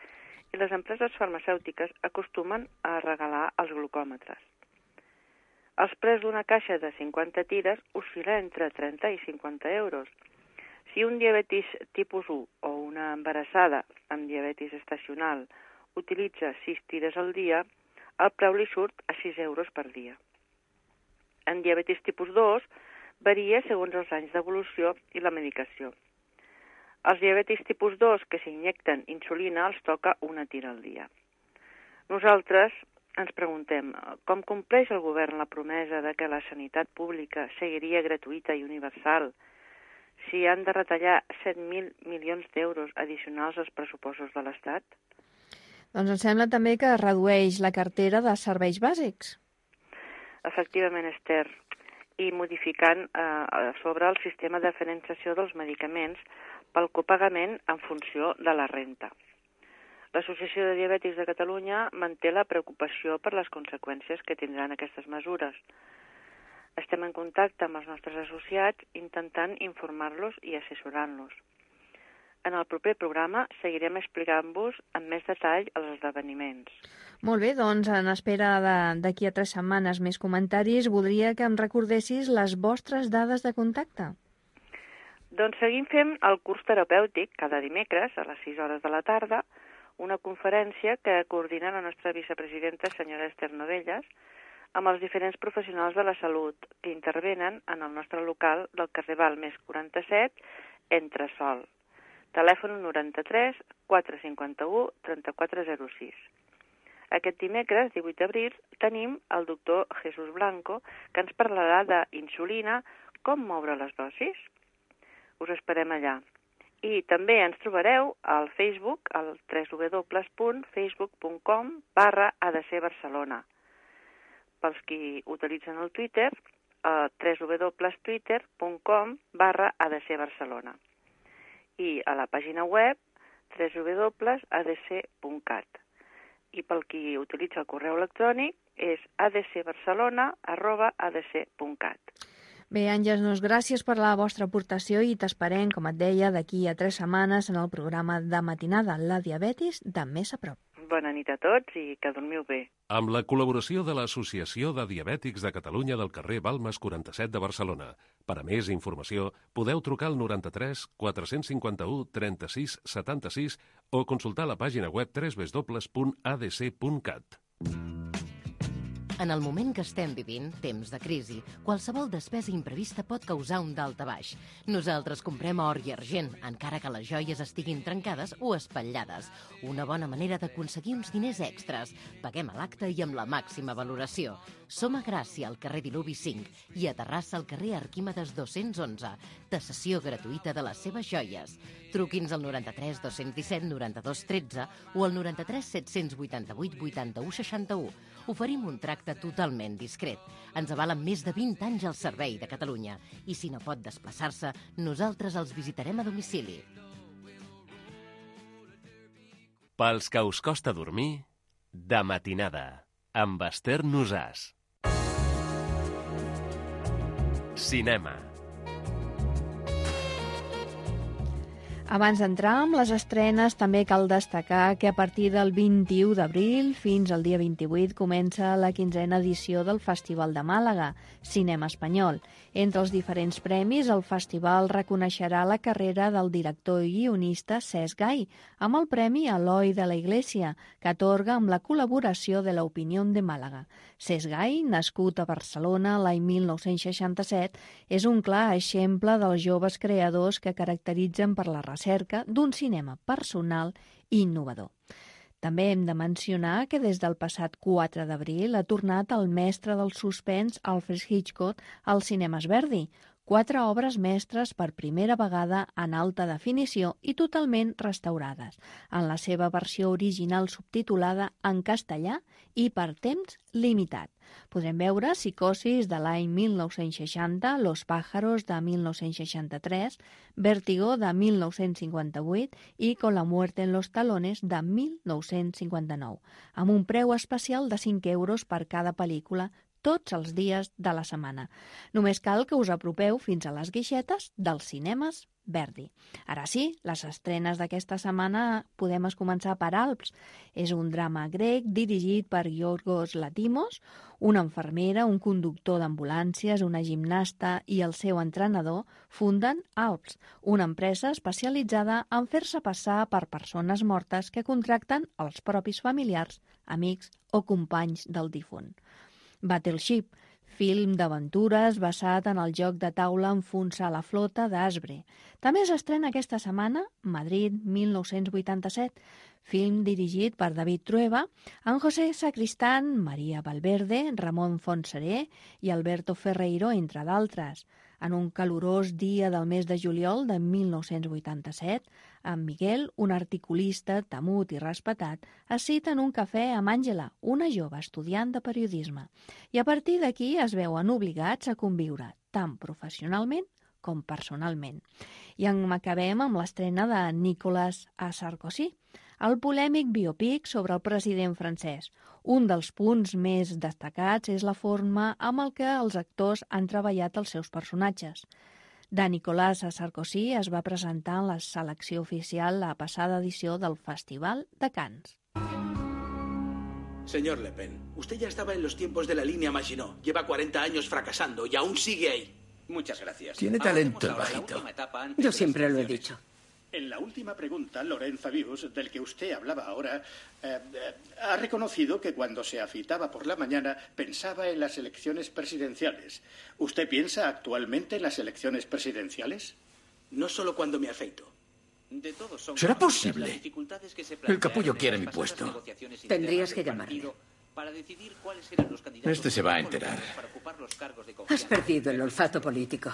i les empreses farmacèutiques acostumen a regalar els glucòmetres. Els preus d'una caixa de 50 tires oscil·la entre 30 i 50 euros. Si un diabetis tipus 1 o una embarassada amb diabetis estacional utilitza 6 tires al dia, el preu li surt a 6 euros per dia. En diabetis tipus 2 varia segons els anys d'evolució i la medicació. Els diabètics tipus 2 que s'injecten insulina els toca una tira al dia. Nosaltres ens preguntem com compleix el govern la promesa de que la sanitat pública seguiria gratuïta i universal si han de retallar 7.000 milions d'euros addicionals als pressupostos de l'Estat? Doncs em sembla també que redueix la cartera de serveis bàsics. Efectivament, Esther, i modificant sobre el sistema de diferenciació dels medicaments pel copagament en funció de la renta. L'Associació de Diabètics de Catalunya manté la preocupació per les conseqüències que tindran aquestes mesures. Estem en contacte amb els nostres associats intentant informar-los i assessorant-los. En el proper programa seguirem explicant-vos amb més detall els esdeveniments. Molt bé, doncs en espera d'aquí a 3 setmanes més comentaris, voldria que em recordessis les vostres dades de contacte. Doncs seguim fent el curs terapèutic cada dimecres a les 6 hores de la tarda, una conferència que coordina la nostra vicepresidenta, senyora Esther Novelles, amb els diferents professionals de la salut que intervenen en el nostre local del carrer Balmes 47, Entresòl. Telèfon 93 451 3406. Aquest dimecres, 18 d'abril, tenim el doctor Jesús Blanco, que ens parlarà d'insulina, com moure les dosis. Us esperem allà. I també ens trobareu al Facebook, al www.facebook.com/ADC-Barcelona. Pels qui utilitzen el Twitter, www.twitter.com/ADC-Barcelona. I a la pàgina web www.adc.cat. I pel qui utilitza el correu electrònic és adcbarcelona@adc.cat. Bé, Àngels, doncs gràcies per la vostra aportació i t'esperem, com et deia, d'aquí a 3 setmanes en el programa de matinada La Diabetis de més a prop. Bona nit a tots i que dormiu bé. Amb la col·laboració de l'Associació de Diabètics de Catalunya del carrer Balmes 47 de Barcelona. Per a més informació, podeu trucar al 93 451 36 76 o consultar la pàgina web www.adc.cat. En el moment que estem vivint, temps de crisi, qualsevol despesa imprevista pot causar un daltabaix. Nosaltres comprem or i argent, encara que les joies estiguin trencades o espatllades. Una bona manera d'aconseguir uns diners extras. Paguem a l'acte i amb la màxima valoració. Som a Gràcia, al carrer Diluvi 5, i a Terrassa, al carrer Arquímedes 211. Tasació gratuïta de les seves joies. Truqui'ns al 93 217 92 13 o al 93 788 81 61. Oferim un tracte totalment discret. Ens avalen més de 20 anys al servei de Catalunya. I si no pot desplaçar-se, nosaltres els visitarem a domicili. Pels que us costa dormir, de matinada, amb Esther Nosàs. Cinema. Abans d'entrar amb les estrenes, també cal destacar que a partir del 21 d'abril fins al dia 28 comença la 15a edició del Festival de Màlaga, Cinema Espanyol. Entre els diferents premis, el festival reconeixerà la carrera del director i guionista Cesc Gai, amb el Premi Eloi de la Iglesia, que atorga amb la col·laboració de l'Opinión de Màlaga. Cesc Gai, nascut a Barcelona l'any 1967, és un clar exemple dels joves creadors que caracteritzen per la recerca d'un cinema personal i innovador. També hem de mencionar que des del passat 4 d'abril ha tornat el mestre del suspens Alfred Hitchcock als cinemes Verdi, 4 obres mestres per primera vegada en alta definició i totalment restaurades, en la seva versió original subtitulada en castellà i per temps limitat. Podrem veure Psicosis de l'any 1960, Los pájaros de 1963, Vértigo de 1958 i Con la muerte en los talones de 1959, amb un preu especial de 5 euros per cada pel·lícula tots els dies de la setmana. Només cal que us apropeu fins a les guixetes dels cinemes Verdi. Ara sí, les estrenes d'aquesta setmana podem començar per Alps. És un drama grec dirigit per Yorgos Lanthimos, una infermera, un conductor d'ambulàncies, una gimnasta i el seu entrenador funden Alps, una empresa especialitzada en fer-se passar per persones mortes que contracten els propis familiars, amics o companys del difunt. Battleship, film d'aventures basat en el joc de taula Enfonsar la flota d'Asbre. També s'estrena aquesta setmana Madrid 1987, film dirigit per David Trueba, amb José Sacristán, María Valverde, Ramon Fontseré i Alberto Ferreiro, entre d'altres. En un calorós dia del mes de juliol de 1987, en Miguel, un articulista temut i respetat, es cita en un cafè amb Àngela, una jove estudiant de periodisme. I a partir d'aquí es veuen obligats a conviure, tant professionalment com personalment. I acabem amb l'estrena de Nicolas Sarkozy, el polèmic biòpic sobre el president francès. Un dels punts més destacats és la forma amb el que els actors han treballat els seus personatges. De Nicolas Sarkozy es va presentar en la selecció oficial la passada edició del Festival de Cannes. Señor Le Pen, usted ya estaba en los tiempos de la línea Maginot. Lleva 40 años fracasando y aún sigue ahí. Muchas gracias. Tiene talento el bajito. Yo siempre lo he dicho. En la última pregunta, Laurent Fabius, del que usted hablaba ahora, ha reconocido que cuando se afeitaba por la mañana pensaba en las elecciones presidenciales. ¿Usted piensa actualmente en las elecciones presidenciales? No solo cuando me afeito. ¿Será posible? El capullo quiere mi puesto. Tendrías que llamarle. Este se va a enterar. Has perdido el olfato político.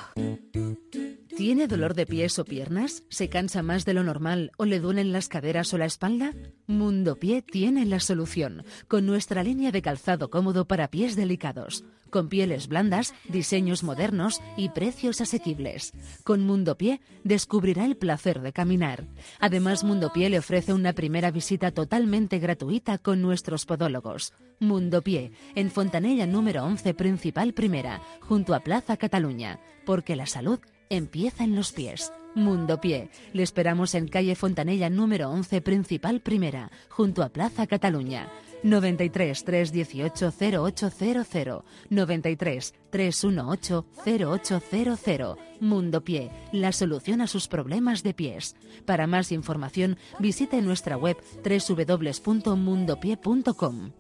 ¿Tiene dolor de pies o piernas? ¿Se cansa más de lo normal o le duelen las caderas o la espalda? Mundo Pie tiene la solución, con nuestra línea de calzado cómodo para pies delicados, con pieles blandas, diseños modernos y precios asequibles. Con Mundo Pie descubrirá el placer de caminar. Además, Mundo Pie le ofrece una primera visita totalmente gratuita con nuestros podólogos. Mundo Pie, en Fontanella número 11, Principal Primera, junto a Plaza Cataluña, porque la salud empieza en los pies. Mundo Pie. Le esperamos en calle Fontanella número 11, Principal Primera, junto a Plaza Cataluña. 93 318 0800 93 318 0800. Mundo Pie, la solución a sus problemas de pies. Para más información, visite nuestra web www.mundopie.com.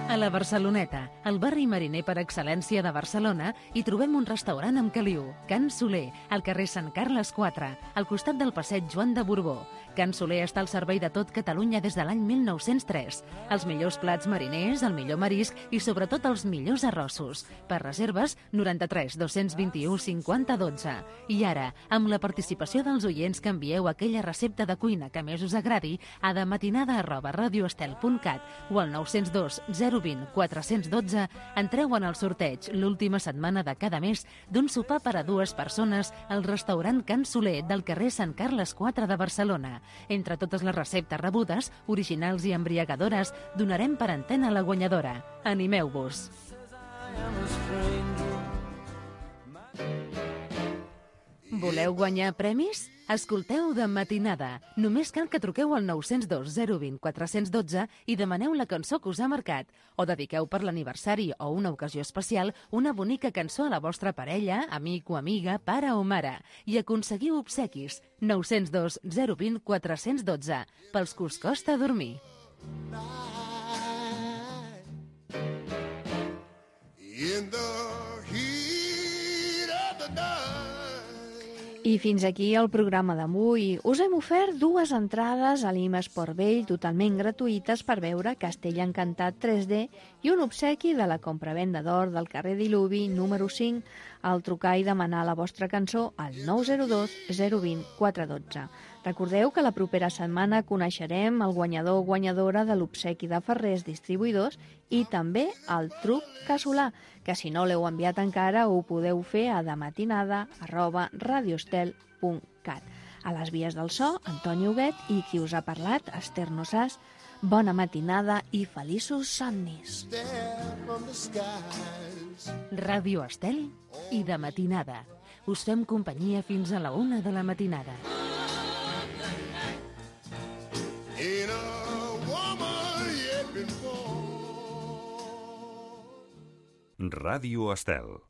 A la Barceloneta, el barri mariner per excel·lència de Barcelona, hi trobem un restaurant amb caliu, Can Soler, al carrer Sant Carles 4, al costat del passeig Joan de Borbó. Can Soler està al servei de tot Catalunya des de l'any 1903. Els millors plats mariners, el millor marisc i sobretot els millors arrossos. Per reserves, 93 221 50 12. I ara, amb la participació dels oients que envieu aquella recepta de cuina que més us agradi a dematinada@radioestel.cat o al 902 020 412, entreu en el sorteig l'última setmana de cada mes d'un sopar per a 2 persones al restaurant Can Soler del carrer Sant Carles 4 de Barcelona. Entre totes les receptes rebudes, originals i embriagadores, donarem per antena la guanyadora. Animeu-vos! Voleu guanyar premis? Escolteu De Matinada. Només cal que truqueu al 902 020 412 i demaneu la cançó que us ha marcat. O dediqueu per l'aniversari o una ocasió especial una bonica cançó a la vostra parella, amic o amiga, pare o mare. I aconseguiu obsequis. 902 020 412. Pels que us costa dormir. I fins aquí el programa d'avui. Us hem ofert 2 entrades a l'IMA Esport Vell totalment gratuïtes per veure Castell Encantat 3D i un obsequi de la compravenda d'or del carrer Diluvi número 5 al trucar i demanar la vostra cançó al 902 020 412. Recordeu que la propera setmana coneixerem el guanyador o guanyadora de l'obsequi de Ferrers Distribuïdors i també el truc casolà, que si no l'heu enviat encara ho podeu fer a dematinada@radioestel.cat. A les vies del so, Antoni Huguet, i qui us ha parlat, Esther Nosàs. Bona matinada i feliços somnis. Ràdio Estel i De Matinada. Us fem companyia fins a la 1 de la matinada. Ràdio Estel.